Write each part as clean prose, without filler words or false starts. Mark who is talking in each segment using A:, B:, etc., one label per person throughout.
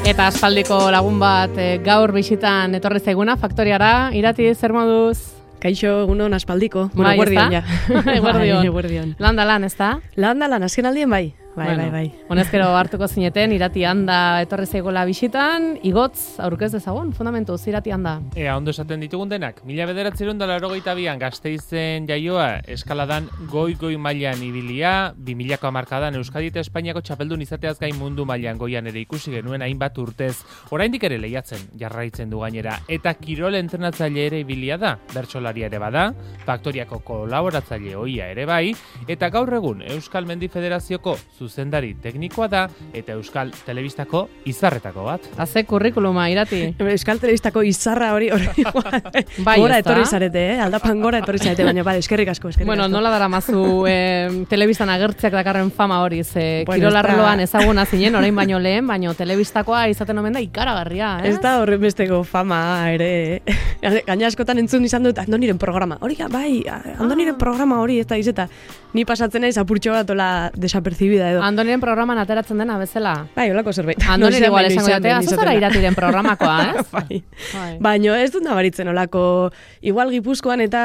A: Eta aspaldiko lagun bat gaur bisitan etorri zaiguna faktoriara. Irati, zer moduz?
B: Kaixo, egunon aspaldiko. Bueno, guardion ja.
A: Guardion. Landa lan, ez da?
B: Landa lan, azken aldien bai. Bai.
A: Honezkero hartuko zineten, Irati handa etorri zaigola bisitan, igotz, aurkez dezagun, fundamentuz, Irati handa.
C: Ondo esaten ditugun denak, 1982an Gasteizen jaioa, eskaladan goi mailan ibilia, 2000ko hamarkadan Euskadi eta Espainiako txapeldun izateaz gain mundu mailan goian ere ikusi genuen hainbat urtez, oraindik ere lehiatzen, jarraitzen du gainera, eta kirol entrenatzaile ere ibilia da, bertsolaria ere bada, Faktoriako kolaboratzaile ohia ere bai, eta gaur egun Euskal Mendi Federazioko zuzendari teknikoa da eta Euskal Telebistako izarretako bat.
A: Haze kurrikuluma, Irati.
B: Euskal Telebistako izarra hori
A: bai,
B: gora etorri zarete, aldapan gora etorri zarete, baina bai, eskerrik asko.
A: Bueno, nola daramazu telebistan agertzeak dakarren fama hori, kirolarloan ezaguna zinen, orain baino lehen, baino telebistakoa izaten omen da ikaragarria,
B: Ez da horren besteko fama ere. Gaina askotan entzun izan dut Andoniren programa. Hori, bai, Andoniren programa hori, ez da izeta. Ni pasatzen naiz apurtxo bat ola desapercibida edo.
A: Andoniren programan ateratzen dena bezala.
B: Bai, holako zerbait.
A: Andoniren igual esango jatea, azazara Iratiren programakoa, ez?
B: Bai. Baina ez dut nabaritzen olako, igual Gipuzkoan eta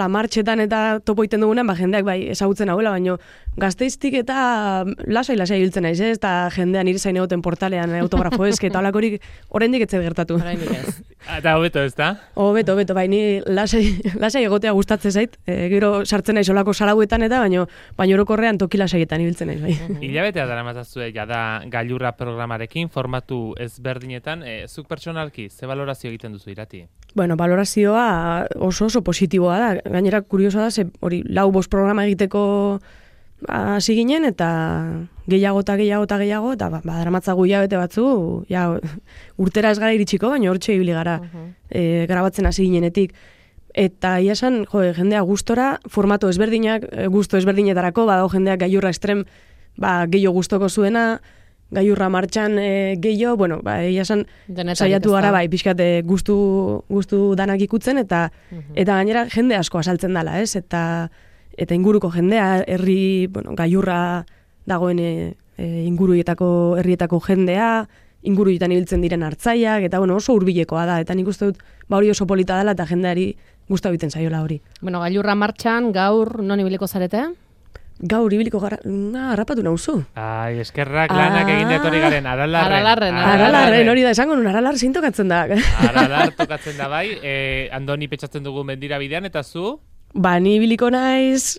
B: martxetan eta topo iten dugunan, jendeak bai ezagutzen hauela, baina Gasteiztik eta lasai hiltzen naiz, ez? Eta jendean nire zain egoten portalean autografo eske eta olakorik oraindik etzet gertatu.
A: Oraindik ez.
C: Eta hobeto, ez da?
B: Hobeto, bai, ni lasai egotea gustatzen zait, gero sartzen naiz olako salauetan eta baina orokorrean toki lasaietan ibiltzen naiz, bai.
C: Hilabetea daramatzazu jada gailurra programarekin, formatu ezberdinetan, zuk pertsonalki, ze balorazio egiten duzu, Irati?
B: Bueno, balorazioa oso positiboa da, gainera kuriosoa da, hori 4-5 programa egiteko hasi ginen, eta gehiago, eta daramatzagu hilabete batzu, urtera ez gara iritsiko, baina hortxe ibili gara grabatzen hasi ginenetik. Eta iasan, jendea gustora, formato ezberdinak, gusto ezberdinetarako, badago jendeak gailurra estrem, gehiago gustoko zuena, gailurra martxan gehiago, bueno, iasan saiatu gara, pixkat gustu danak ikutzen, eta gainera jende asko asaltzen dela, ez? Eta inguruko jendea, gailurra dagoen herrietako jendea, inguruetan ibiltzen diren hartzaiak, eta oso hurbilekoa da, eta nik uste dut hori oso polita dela, eta jendeari gustu egiten zaiola hori.
A: Bueno, gailurra martxan, gaur non ibiliko zarete?
B: Gaur ibiliko gara, harrapatu nauzu.
C: Ai, eskerrak lanak egin etorri garen,
B: Aralarren, hori da, esango nun, Aralar zein tokatzen da.
C: Aralar tokatzen da bai, Andoni petxatzen dugu mendira bidean, eta zu?
B: Ni ibiliko naiz,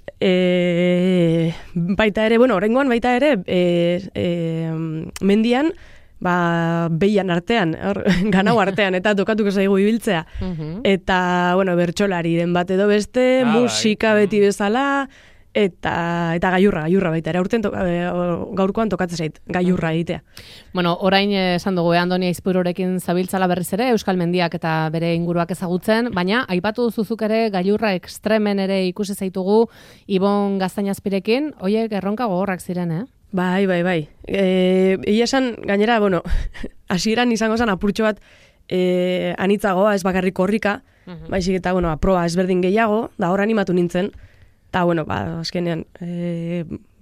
B: baita ere, oraingoan baita ere, mendian, behian artean, ganau artean, eta tokatuko zaigu ibiltzea. Eta, bertsolariren bat edo beste, musika beti bezala, eta gailurra baita ere, aurten gaurkoan tokatzen zait, gailurra egitea.
A: Bueno, orain esan dugu, Andoni Aizpururekin zabiltzala berriz ere, Euskal Mendiak eta bere inguruak ezagutzen, baina aipatu duzuzuk ere gailurra ekstremen ere ikusi zaitugu Ibon Gaztainazpirekin, hoiek erronka gogorrak ziren,
B: Bai. Egia esan, gainera, hasieran izango zen apurtxo bat anitzagoa, ez bakarrik korrika, baizik eta, aproba ezberdin gehiago, da hor animatu nintzen, eta, azkenean,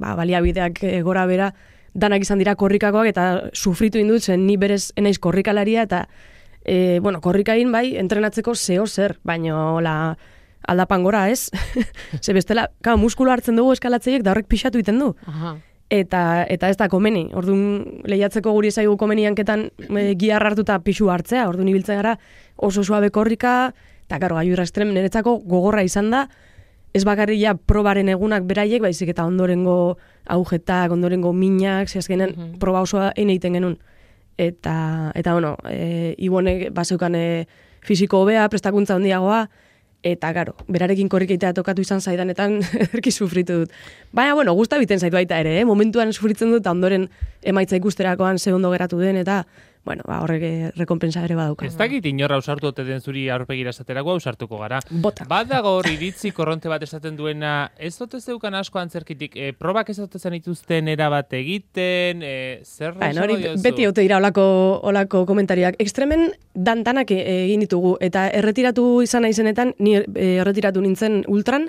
B: baliabideak gora bera, danak izan dira korrikakoak, eta sufritu indut zen, ni berez enaiz korrikalaria, eta, korrikain bai, entrenatzeko zeo zer, baina, aldapan gora, ez? Ze bestela, muskulo hartzen dugu eskalatzeiek, da horrek pixatu iten du. Eta ez da komeni. Orduan, lehiatzeko guri ezaigu komeni hanketan giar hartuta pixu hartzea. Orduan, ibiltzen gara oso suabe korrika, eta gailurra estrem niretzako gogorra izan da, ez bakarria probaren egunak beraiek, baizik eta ondorengo agujetak, ondorengo minak, azkenen proba osoa egiten genuen. Eta Ibonek bazeukan fisiko hobea, prestakuntza handiagoa, eta, berarekin korrikeitea tokatu izan zaidanetan erki sufritu dut. Baina, gusta biten zaitu baita ere, momentuan sufritzen dut, eta ondoren emaitza ikusterakoan ze ondo geratu den, eta, horrek rekompensa ere badauka.
C: Ez dakit inorra ausartu ote den zuri aurpegira esaterako ausartuko gara.
B: Bota.
C: Badago hor iritzi korronte bat esaten duena, ez dote zeukan asko antzerkitik, probak ez dote zen ituzten erabat egiten, zer esango diozu?
B: Beti haute dira olako komentariak. Ekstremen danak egin ditugu, eta erretiratu izan naizenetan, ni erretiratu nintzen ultran,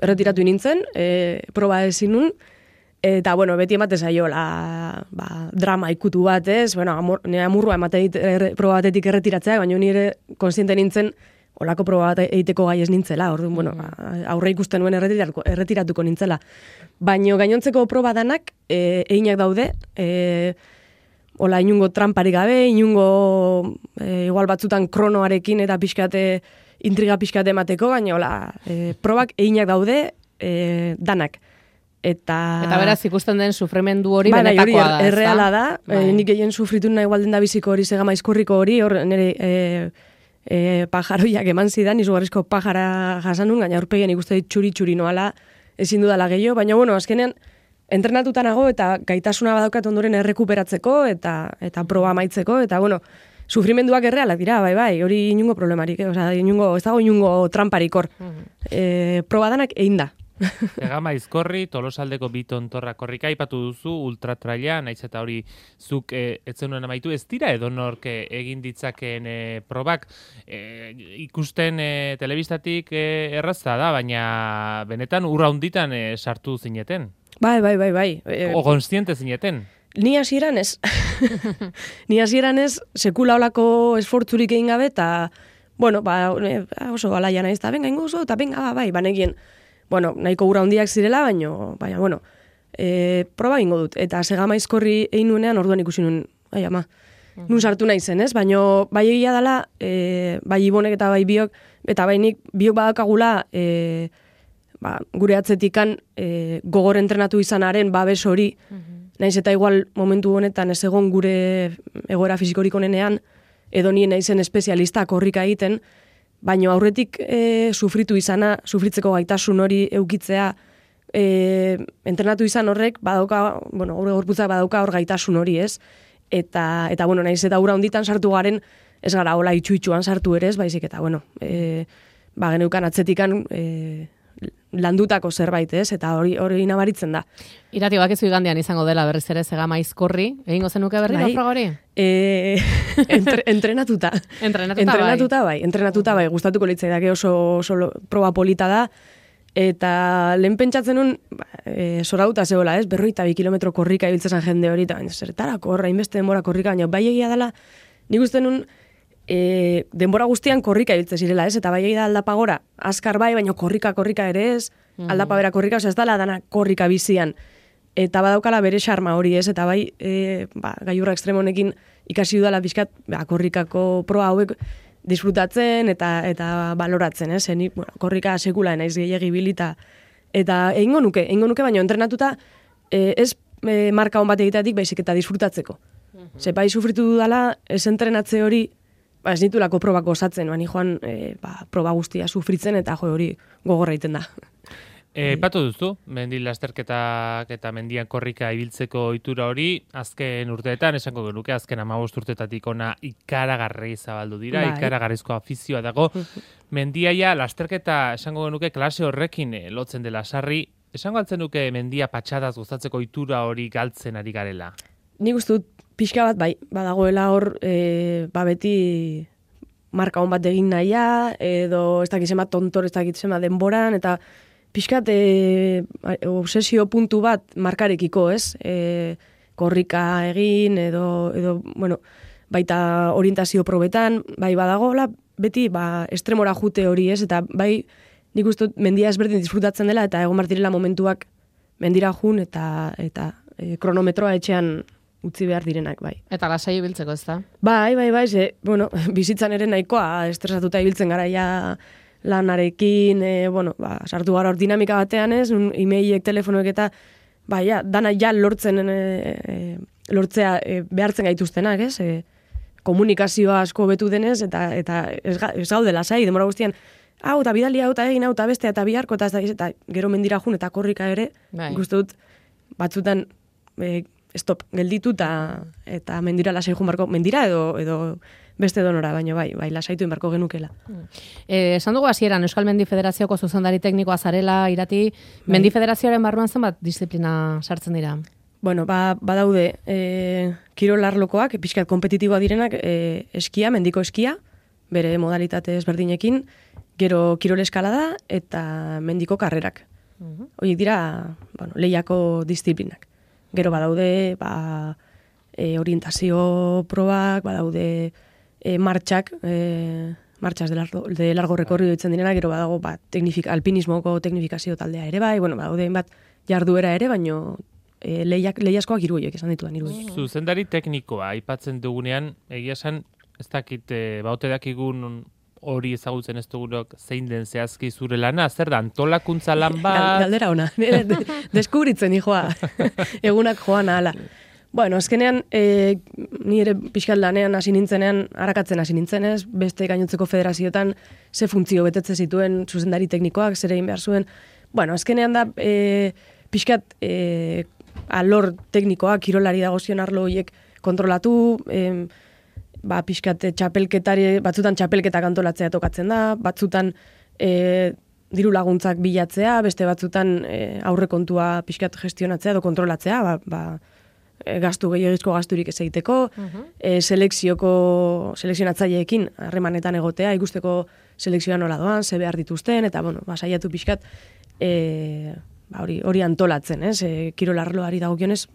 B: erretiratu nintzen, proba ezin nun, Eta, bueno, beti emate zaiola drama ikutu bat, ez? Bueno, nire amurrua emate proba batetik erretiratzea, baina nire konstiente nintzen olako proba bat egiteko gai ez nintzela. Orduan, bueno, aurre ikusten nuen erretiratuko nintzela. Baina gainontzeko proba danak eginak daude, hola, inungo tramparik gabe, inungo igual batzutan kronoarekin eta pixkate, intriga pixkate emateko, baina hola, probak eginak daude danak. Eta
A: beraz ikusten den sufrimendu hori benetakoa da.
B: Erreala da, nik gehien sufritu nahi igualden da biziko hori, Segama Izkurriko hori, hor nire pajaroiak eman zidan, izugarrizko pajara jasanun, gaina aurpegien ikuste txuri-txuri noala ezin dudala gehiago, baina bueno, azkenean entrenatuta nago eta gaitasuna badaukat ondoren errekuperatzeko eta proba amaitzeko, eta bueno, sufrimenduak errealak dira, bai, hori inungo problemarik, ez dago inungo tramparik hor. Proba danak egin da.
C: Segama Izkorri, Tolosaldeko 2 tontorra korrika, aipatu duzu, ultratraila, naiz eta hori zuk etzenuen amaitu, ez dira edonork egin ditzakeen probak, ikusten telebistatik erraza da, baina benetan urra hunditan sartu zineten.
B: Bai.
C: O konstiente zineten.
B: Ni hasieran ez. Ni hasieran ez, sekula olako esfortzurik egin gabe, eta, bueno, oso alaia naiz, eta benga inguzo, eta benga, bai, banekien. Bueno, nahiko gura hundiak zirela, baina, bueno, proba ingo dut. Eta Segama Izkorri egin nuenean orduan ikusi nuen, nun sartu nahi zen, ez? Baina, bai egia dela, bai Ibonek eta bai biok, eta bai nik biok badakagula, gure atzetikan gogor entrenatu izanaren babes hori, naiz eta igual momentu honetan ez egon gure egoera fisikorik onenean, edo nien naizen espezialista korrika egiten, baina aurretik sufritzeko gaitasun hori eukitzea, entrenatu izan horrek, badauka, bueno, gure gorputza badauka hor gaitasun hori, ez? Eta bueno, naiz eta ura honditan sartu garen, ez gara hola itxuan sartu ere, ez, baizik eta, bueno, geneukan atzetikan landutako zerbait, ez? Eta hori nabaritzen da.
A: Irati, bakizu igandean izango dela berriz ere Segama Izkorri, egingo zenuke berri naufraga hori?
B: Entrenatuta. Entrenatuta bai, gustatuko litzaidake oso proba polita da, eta lehen pentsatzen nun, zorauta zehola, ez? 42 kilometro korrika ibiltzen jende hori, eta zertarako horra, inbeste denbora korrika, baina bai egia dela, nik uste nun, denbora guztian korrika ibiltzen zirela, ez? Eta bai egia da aldapa gora, azkar bai, baina korrika ere ez, aldapa bera korrika, ez dala dana korrika bizian. Eta badaukala bere xarma hori, ez? Eta bai, gailurra ekstremo honekin ikasi dudala pixkat, korrikako proa hauek disfrutatzen eta baloratzen, ez? Nik, bueno, korrika sekula naiz gehiegi bilita. Eta egingo nuke, baina entrenatuta ez marka hon bat egiteatik baizik eta disfrutatzeko. Ze bai sufritu dudala, ez entrenatze hori, ez nitulako probako osatzen, bani joan proba guztia sufritzen eta hori gogorra egiten da.
C: Patu duzu, mendi lasterketak eta mendian korrika ibiltzeko ohitura hori, azken urteetan, esango genuke, azken 15 urteetatik ona ikaragarri zabaldu dira, ikaragarrizko afizioa dago. Mendiaia lasterketa, esango genuke, klase horrekin lotzen dela sarri, esango altzen nuke mendia patxadaz gustatzeko ohitura hori galtzen ari garela?
B: Nik uste dut pixka bat, bai, badagoela hor, beti marka hon bat egin nahia, edo ez dakizema tontor, ez dakizema denboran, eta pixkat obsesio puntu bat markarekiko, ez? Korrika egin, edo bueno, baita orientazio probetan, bai badagoela, beti estremora jute hori, ez? Eta bai, nik uste mendia ezberdin disfrutatzen dela, eta egon martirela momentuak mendira jun, eta kronometroa etxean utzi behar direnak, bai.
A: Eta lasai ibiltzeko, ez da?
B: Bai, ze, bueno, bizitzan ere nahikoa estresatuta ibiltzen gara ja lanarekin, sartu gara hor dinamika batean ez, e-mailek, telefonoek eta, dana ja lortzea behartzen gaituztenak, ez? Komunikazioa asko betu denez, eta ez gaude lasai, demora guztian, hau, eta bidali, hau, eta egin, hau, eta beste, eta biharko, eta gero mendira jun, eta korrika ere, ikustu dut, batzutan, stop, gelditu eta mendira lasai jun barko, mendira edo beste donora, baina bai, lasaitu inbarko genukela.
A: Esan dugu hasieran Euskal Mendi Federazioko zuzendari teknikoa zarela, Irati, Mendi Federazioaren barruan zenbat disiplina sartzen dira?
B: Bueno, badaude kirolarlokoak, pixkat kompetitiboa direnak, eskia, mendiko eskia, bere modalitate ezberdinekin, gero kirol eskalada eta mendiko karrerak. Horiek dira, bueno, lehiako disiplinak. Gero badaude, orientazio probak, badaude martxak, martxas de largo recorrido ditzen direna, gero badago alpinismoko teknifikazio taldea ere bai, bueno, badaude bat jarduera ere, baino lehiaskoak hiru horiek esan ditudan hiru horiek.
C: Zuzendari teknikoa aipatzen dugunean, egia esan, ez dakit, baute dakigun hori ezagutzen ez dugunok zein den zehazki zure lana, zer da, antolakuntza lan bat?
B: Galdera ona, deskubritzen hijoa, egunak joan ahala. Bueno, azkenean, ni ere pixkat lanean hasi nintzenean, arakatzen hasi nintzenez, beste gainotzeko federazioetan ze funtzio betetze zituen zuzendari teknikoak, zer egin behar zuen. Bueno, azkenean da, pixkat alor teknikoak, kirolari dagozion arlo horiek kontrolatu, pixkat batzutan txapelketak antolatzea tokatzen da, batzutan diru laguntzak bilatzea, beste batzutan aurrekontua pixkat gestionatzea edo kontrolatzea, gastu gehiagizko gasturik ez egiteko, selekzionatzaileekin harremanetan egotea, ikusteko selekzioa nola doan, ze behar dituzten, eta bueno, saiatu pixkat hori antolatzen, kirolarloari dagokionez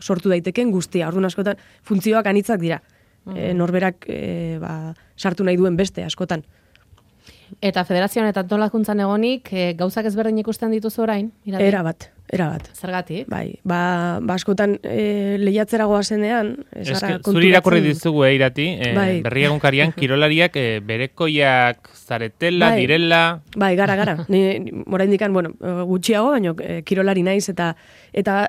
B: sortu daiteken guztia, orduan askotan funtzioak anitzak dira. Norberak sartu nahi duen beste askotan.
A: Eta federazioan eta antolakuntzan egonik, gauzak ezberdin ikusten dituzu orain?
B: Era bat.
A: Zergatik?
B: Bai, askotan lehiatzera goazenean,
C: zuri irakurri dizugu irati, berri egunkarian kirolariak berekoiak zaretela, direla...
B: Bai, gara. Ni oraindikan, bueno, gutxiago, baina kirolari naiz, eta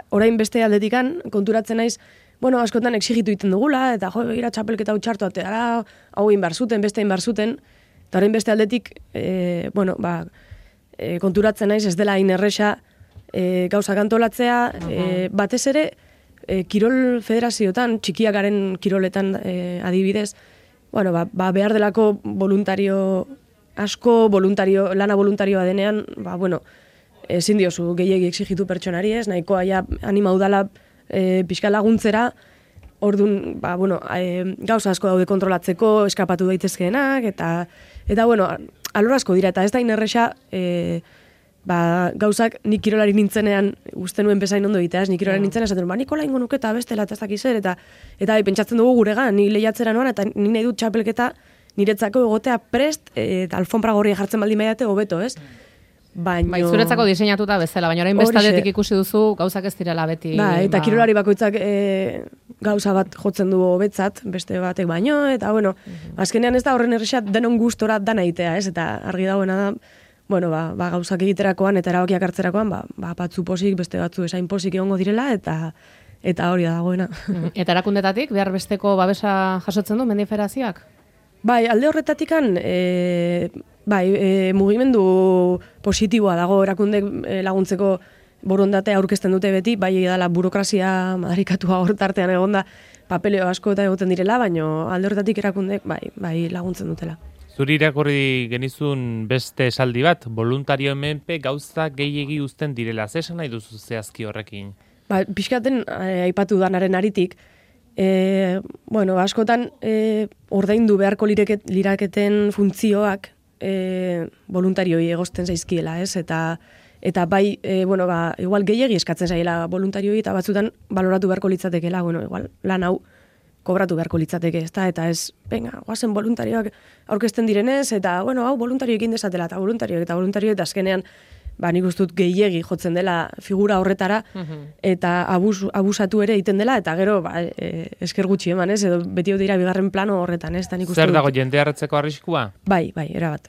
B: orain beste aldetikan konturatzen naiz, bueno, askotan exigitu iten dugula, eta ira txapelketa hau txartu ateara, hau inbarzuten, beste inbarzuten, eta orain beste aldetik, konturatzen naiz ez dela inerresa gauzak antolatzea, batez ere, kirol federazioetan, txikiak garen kiroletan adibidez, bueno, behar delako lana voluntarioa denean, ezin diozu gehiegi exigitu pertsonari ez, nahikoa ja anima udala pixka laguntzera, orduan, gauza asko daude kontrolatzeko, eskapatu daitezkeenak, eta bueno, alor asko dira, eta ez da inerresa, gauzak nik kirolari nintzenean, uste nuen bezain ondo egitea, nik kirolari nintzenean, esaten, nikola ingo nuke eta bestela, eta ez dakiz zer, eta pentsatzen dugu guregan, ni lehiatzera noan, eta ni nahi dut txapelketa niretzako egotea prest, eta alfombra gorria jartzen baldin baiate hobeto, ez?
A: Bai, zuretzako diseinatuta bezala, baina orain bestaldetik ikusi duzu gauzak ez direla beti.
B: Eta kirolari bakoitzak gauza bat jotzen du hobetzat, beste batek baino, eta bueno, azkenean ez da horren errexat denon gustora dana egitea, ez? Eta argi dagoena da, bueno, gauzak egiterakoan eta erabakiak hartzerakoan, batzu posik, beste batzu esain posik egongo direla, eta hori da dagoena.
A: Eta erakundetatik, behar besteko babesa jasotzen du Mendi Federazioak?
B: Bai, alde horretatikan, mugimendu positiboa dago erakundek laguntzeko borondatea aurkezten dute beti, bai edala burokrazia madarikatua hortartean egonda papeleo asko eta egoten direla, baina alde horretatik erakundek bai laguntzen dutela.
C: Zuri irakurri genizun beste esaldi bat, voluntario menpe gauza gehiegi uzten direla, zesan nahi duzu zehazki horrekin?
B: Pixkaten aipatu danaren aritik, askotan ordaindu beharko liraketen funtzioak voluntarioi egozten zaizkiela, ez? Eta bai, igual gehiegi eskatzen zaiela voluntarioi, eta batzutan baloratu beharko litzatekeela, igual lan hau kobratu beharko litzateke, ez da? Eta ez, guazen voluntarioak aurkezten direnez, eta, hau voluntarioekin desatela, eta voluntarioek, eta azkenean, nik ustut gehiegi jotzen dela figura horretara, eta abusatu ere egiten dela, eta gero, esker gutxi eman, ez? Edo beti dira bigarren plano horretan, ez?
C: Zer dago jende harretzeko arriskua?
B: Bai, erabat.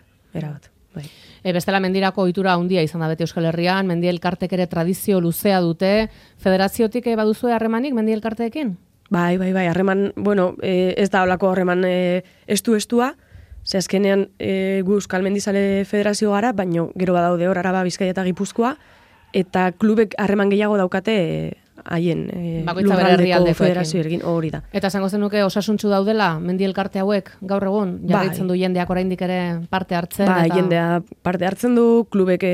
B: Bai.
A: Bestela mendirako ohitura handia izan da beti Euskal Herrian, mendi elkartek ere tradizio luzea dute, federaziotik baduzue harremanik mendi elkarteekin?
B: Bai, harreman, ez da holako harreman estua, ze azkenean gu Euskal Mendizale Federazio gara, baina gero badaude hor Araba, Bizkaia eta Gipuzkoa, eta klubek harreman gehiago daukate haien lurraldeko federazioekin hori da.
A: Eta esango zenuke osasuntsu daudela mendi elkarte hauek gaur egun jarraitzen du jendeak oraindik ere parte hartzen?
B: Jendea parte hartzen du, klubek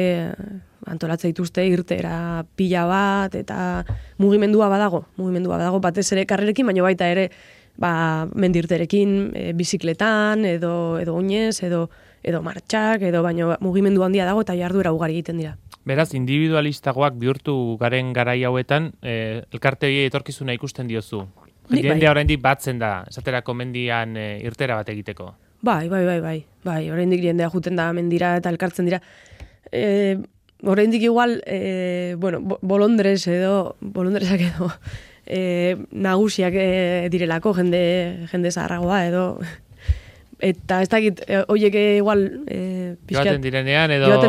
B: antolatzen dituzte irtera pila bat, eta mugimendua badago batez ere karrerekin, baina baita ere mendirterekin, bizikletan, edo oinez, edo martxak, baina mugimendu handia dago eta jarduera ugari egiten dira.
C: Beraz, individualistagoak bihurtu garen garai hauetan, elkarte hori etorkizuna ikusten diozu. Jendea oraindik batzen da, esaterako mendian irtera bat egiteko.
B: Bai, oraindik jendea juten da mendira eta elkartzen dira. Oraindik igual, bolondresak edo nagusiak direlako jende zaharragoa edo... Eta ez dakit, hoiek igual...
C: Joaten direnean edo usten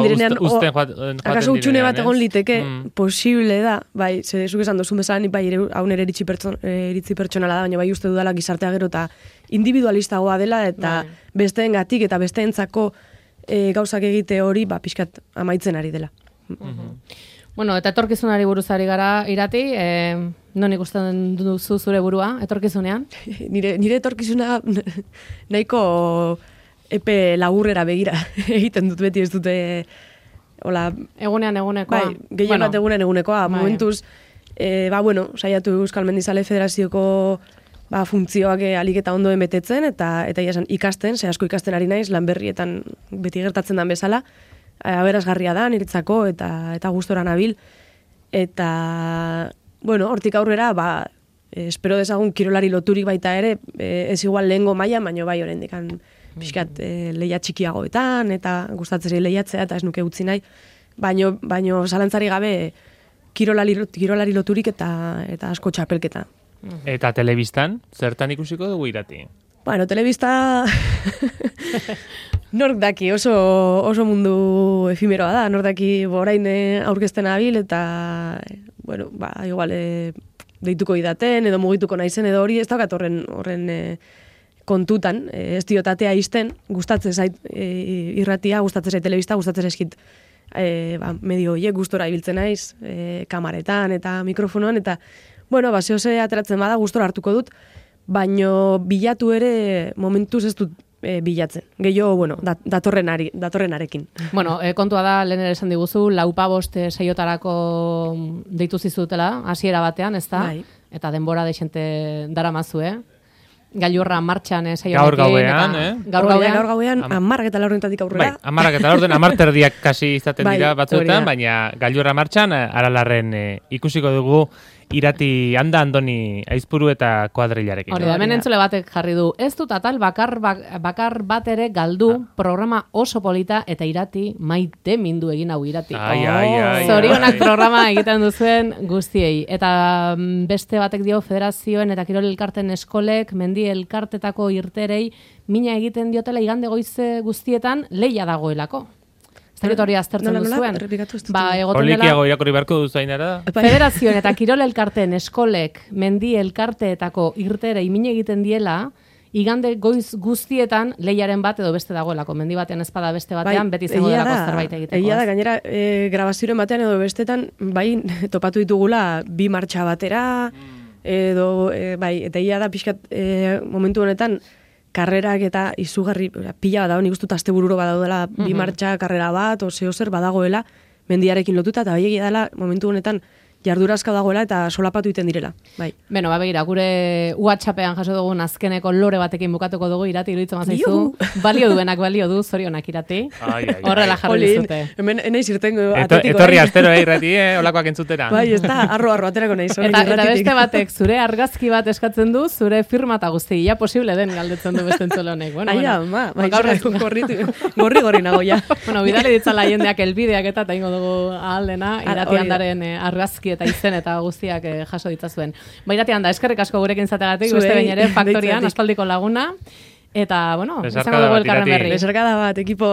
C: joaten direnean.
B: Akaso utxune bat egon liteke, posible da, bai, zuk esan dozun bezala, bai, hau nire iritzi pertsonala da, baina bai uste dudala gizartea gero eta individualistagoa dela, eta besteengatik eta besteentzako gauzak egite hori, pixkat amaitzen ari dela.
A: Bueno, eta etorkizunari buruz ari gara irati, non ikusten duzu zure burua, etorkizunean?
B: Nire etorkizuna nahiko epe laburrera begira egiten dut beti, ez dute...
A: Egunean egunekoa.
B: Bai, gehien bat egunean egunekoa. Momentuz, saiatu Euskal Mendizale Federazioko funtzioak alik eta ondoen betetzen, eta ikasten, asko ikasten ari naiz, lan berrietan beti gertatzen den bezala, aberasgarria da, niretzako, eta gustora nabil. Eta, hortik aurrera, espero dezagun kirolari loturik baita ere, ez igual lehengo mailan, baina bai oraindik pixkat lehia txikiagoetan, eta gustatzeri lehiatzea, eta ez nuke utzi nahi, baino zalantzari gabe kirolari loturik eta asko txapelketa.
C: Eta telebistan, zertan ikusiko dugu irati?
B: Telebista... Nork daki, oso mundu efimeroa da, nork daki orain aurkezten abil, eta, igual deituko idaten, edo mugituko naizen, edo hori ez daukat horren kontutan, ez diotatea izten, gustatzen zait irratia, gustatzen zait telebista, gustatzen zaizkit medio horiek gustora ibiltzen naiz, kamaretan eta mikrofonoan, eta, zehose ateratzen bada gustora hartuko dut, baino bilatu ere momentuz ez dut bilatzen. Gehiago, datorrenarekin.
A: Kontua da, lehen ere esan diguzu, 4-5 saiotarako deitu zizutela, hasiera batean, ez da?
B: Bai.
A: Eta denbora deixente daramazu, Gailurra martxan saioarekin.
C: Gaur gauean,
B: Gaur gauean, 10:00 aurrera.
C: Bai, 10:00 10:30 kasi izaten dira batzuetan, baina gailurra martxan, Aralarren ikusiko dugu irati Andoni Aizpuru eta kuadrilarekin.
A: Hori da, hemen entzule batek jarri du. Ez dut atal bakar bat ere galdu, programa oso polita eta irati maite mindu egin hau irati. Zorionak programa egiten duzuen guztiei. Eta beste batek dio federazioen eta kirol elkarten eskolek, mendi elkartetako irterei, mina egiten diotela igande goize guztietan leia dagoelako. Hori aztertzen duzuen.
C: Olikiago irakurri beharko duzainara.
A: Federazioen eta kirol elkarteen eskolek mendi elkarteetako irterei min egiten diela, igande goiz guztietan lehiaren bat edo beste dagoelako. Mendi batean ezpada beste batean, beti izango delako zerbait egiteko.
B: Egia da, gainera, grabazioen batean edo bestetan, topatu ditugula bi martxa batera, edo, eta egia da, pixkat, momentu honetan, karrerak eta izugarri pila badago, nik ustut astebururo badaudela bi martxa karrera bat, zer badagoela, mendiarekin lotuta, eta egia dela, momentu honetan, jardurazka dagoela eta solapatu iten direla. Bai.
A: Beno, begira, gure WhatsAppean jaso dugun azkeneko lore batekin bukatuko dugu irati, iruditzen mazaizu. Balio du, zorionak irati. Horrela jarri dizute.
B: Hemen enaiz irtengo atetiko.
C: Etorri astero, irati, olakoak entzutera.
B: Bai, ez da, arro aterako nahi.
A: Eta beste batek, zure argazki bat eskatzen du, zure firma eta guzti, ja posible den galdetzen du beste entzule honek.
B: Gorri nago, ja.
A: Bidali ditzala jendeak elbideak eta ingo dugu ahaldena, irati handaren argazki eta izen eta guztiak jaso ditzazuen. Irati handa, eskerrik asko gurekin zategatik, beste behin ere, faktorian, aspaldiko laguna. Eta, izango dugu elkarren berri.
B: Besarkada bat, ekipo.